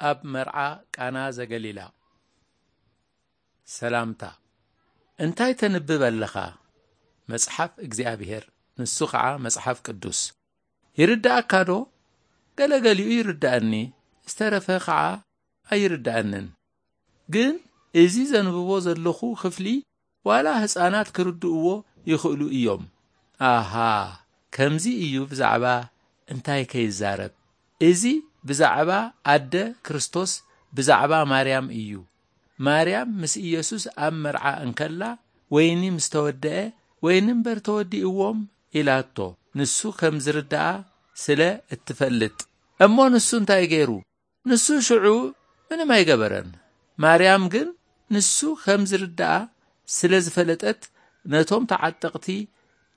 ኣብ መርዓ ቃና ዘገሊላ። ሰላምታ። እንታይ ተንብብ ኣለኻ? መጽሓፍ እግዚኣብሔር፣ ንሱ ኸዓ መጽሓፍ ቅዱስ። ይርድኣካ ዶ? ገለገሊኡ ይርድኣኒ፣ ዝተረፈ ኸዓ ኣይርድኣንን። ግን እዚ ዘንብቦ ዘለኹ ክፍሊ ዋላ ህፃናት ክርድእዎ ይኽእሉ እዮም። ኣሃ፣ ከምዚ እዩ ብዛዕባ እንታይ ከይዛረብ? እዚ ብዛዕባ ኣደ ክርስቶስ፣ ብዛዕባ ማርያም እዩ። ማርያም ምስ ኢየሱስ ኣብ መርዓ እንከላ፣ ወይኒ ምስ ተወደአ፣ ወይኒ እምበር ተወዲእዎም ኢላቶ፣ ንሱ ከም ዝርድኣ ስለ እትፈልጥ። እሞ ንሱ እንታይ ገይሩ? ንሱ ሽዑ ምንም ኣይገበረን። ማርያም ግን ንሱ ከም ዝርድኣ ስለ ዝፈለጠት፣ ነቶም ተዓጠቕቲ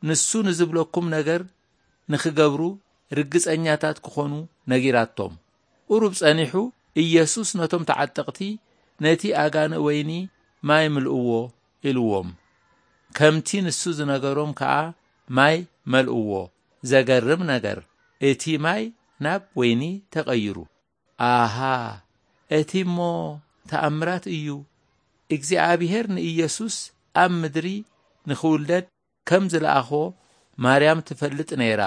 ንሱ ንዝብለኩም ነገር ንኽገብሩ ርግጸኛታት ክኾኑ ነጊራቶም። ቁሩብ ጸኒሑ፣ ኢየሱስ ነቶም ተዓጠቕቲ፣ "ነቲ ኣጋንእ ወይኒ ማይ ምልእዎ" ኢልዎም። ከምቲ ንሱ ዝነገሮም ከኣ ማይ መልእዎ። ዘገርም ነገር፣ እቲ ማይ ናብ ወይኒ ተቐይሩ። ኣሃ፣ እቲ እሞ ተኣምራት እዩ። እግዚኣብሔር ንኢየሱስ ኣብ ምድሪ ንኽውለድ ከም ዝለኣኾ ማርያም ትፈልጥ ነይራ።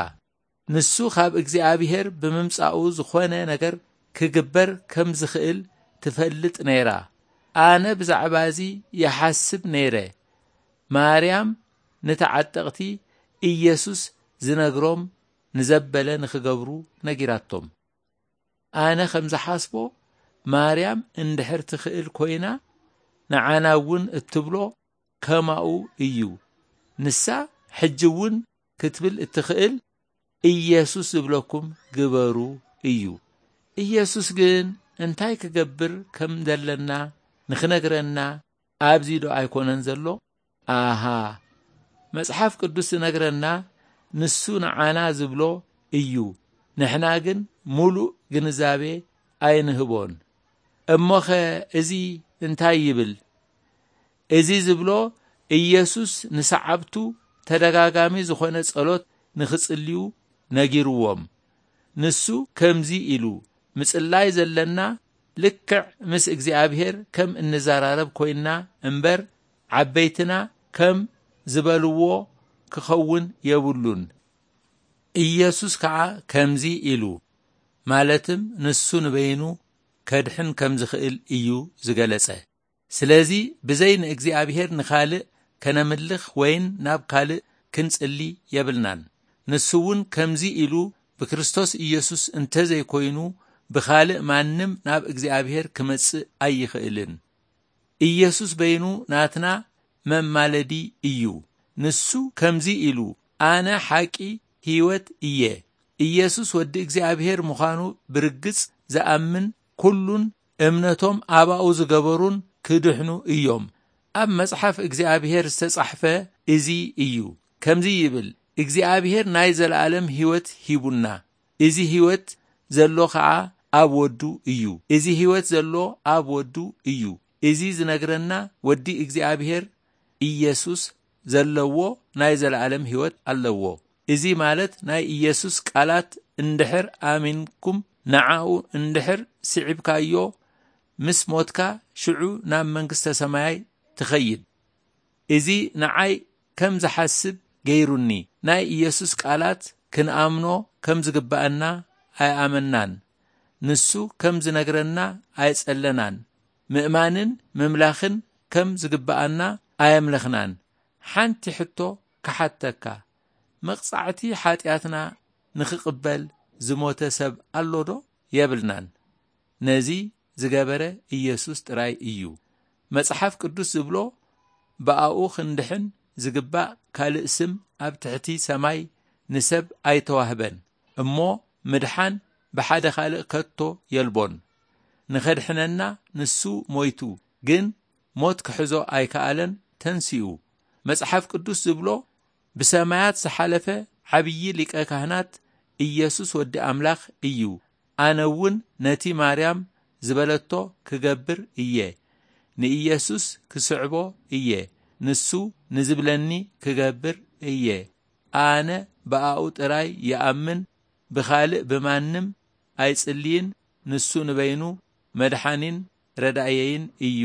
ንሱ ካብ እግዚኣብሔር ብምምጻኡ ዝኾነ ነገር ክግበር ከም ዝኽእል ትፈልጥ ነይራ። ኣነ ብዛዕባ እዚ ይሓስብ ነይረ። ማርያም ንተዓጠቕቲ ኢየሱስ ዝነግሮም ንዘበለ ንኽገብሩ ነጊራቶም። ኣነ ከም ዝሓስቦ፣ ማርያም እንድሕር ትኽእል ኮይና፣ ንዓና እውን እትብሎ ከማኡ እዩ። ንሳ ሕጂ እውን ክትብል እትኽእል፣ "ኢየሱስ ዝብለኩም ግበሩ" እዩ። ኢየሱስ ግን እንታይ ክገብር ከም ዘለና ንኽነግረና ኣብዚ ዶ ኣይኮነን ዘሎ? ኣሃ፣ መጽሓፍ ቅዱስ ዝነግረና ንሱ ንዓና ዝብሎ እዩ። ንሕና ግን ምሉእ ግንዛቤ ኣይንህቦን። እሞኸ እዚ እንታይ ይብል? እዚ ዝብሎ፣ ኢየሱስ ንሰዓብቱ ተደጋጋሚ ዝኾነ ጸሎት ንኽጽልዩ ነጊርዎም። ንሱ ከምዚ ኢሉ፣ "ምጽላይ ዘለና ልክዕ ምስ እግዚኣብሔር ከም እንዘራረብ ኮይንና እምበር፣ ዓበይትና ከም ዝበልዎ ክኸውን የብሉን።" ኢየሱስ ከኣ ከምዚ ኢሉ፣ ማለትም ንሱ ንበይኑ ከድሕን ከም ዝኽእል እዩ ዝገለጸ። ስለዚ ብዘይ ንእግዚኣብሔር ንኻልእ ከነምልኽ ወይን ናብ ካልእ ክንጽሊ የብልናን። ንሱ እውን ከምዚ ኢሉ፣ ብክርስቶስ ኢየሱስ እንተዘይኮይኑ ብኻልእ ማንም ናብ እግዚኣብሔር ክመጽእ ኣይኽእልን። ኢየሱስ በይኑ ናትና መማለዲ እዩ። ንሱ ከምዚ ኢሉ፣ "ኣነ ሓቂ ህይወት እየ።" ኢየሱስ ወዲ እግዚኣብሔር ምዃኑ ብርግጽ ዝኣምን ኩሉን እምነቶም ኣባኡ ዝገበሩን ክድሕኑ እዮም። ኣብ መጽሓፍ እግዚኣብሔር ዝተጻሕፈ እዚ እዩ። ከምዚ ይብል፣ "እግዚኣብሔር ናይ ዘለኣለም ህይወት ሂቡና። እዚ ህይወት ዘሎ ኸዓ ኣብ ወዱ እዩ። እዚ ህይወት ዘሎ ኣብ ወዱ እዩ።" እዚ ዝነግረና ወዲ እግዚኣብሔር ኢየሱስ ዘለዎ ናይ ዘለኣለም ህይወት ኣለዎ። እዚ ማለት ናይ ኢየሱስ ቃላት እንድሕር ኣሚንኩም፣ ንዓኡ እንድሕር ስዒብካዮ፣ ምስ ሞትካ ሽዑ ናብ መንግስተ ሰማያይ ትኸይድ። እዚ ንዓይ ከም ዝሓስብ ገይሩኒ። ናይ ኢየሱስ ቃላት ክንኣምኖ ከም ዝግባኣና ኣይኣመናን። ንሱ ከም ዝነግረና ኣይጸለናን። ምእማንን ምምላኽን ከም ዝግባኣና ኣየምለኽናን። ሓንቲ ሕቶ ክሓተካ፣ መቕጻዕቲ ሓጢኣትና ንኽቕበል ዝሞተ ሰብ ኣሎ ዶ? የብልናን። ነዚ ዝገበረ ኢየሱስ ጥራይ እዩ። መጽሓፍ ቅዱስ ዝብሎ፣ "ብኣኡ ክንድሕን ዝግባእ ካልእ ስም ኣብ ትሕቲ ሰማይ ንሰብ ኣይተዋህበን፣ እሞ ምድሓን ብሓደ ካልእ ከቶ የልቦን። ንኸድሕነና ንሱ ሞይቱ፣ ግን ሞት ክሕዞ ኣይከኣለን፣ ተንሲኡ።" መጽሓፍ ቅዱስ ዝብሎ፣ ብሰማያት ዝሓለፈ ዓብዪ ሊቀ ካህናት ኢየሱስ ወዲ ኣምላኽ እዩ። ኣነ እውን ነቲ ማርያም ዝበለቶ ክገብር እየ። ንኢየሱስ ክስዕቦ እየ። ንሱ ንዝብለኒ ክገብር እየ። ኣነ ብኣኡ ጥራይ ይኣምን፣ ብኻልእ ብማንም ኣይጽልይን። ንሱ ንበይኑ መድሓኒን ረዳየይን እዩ።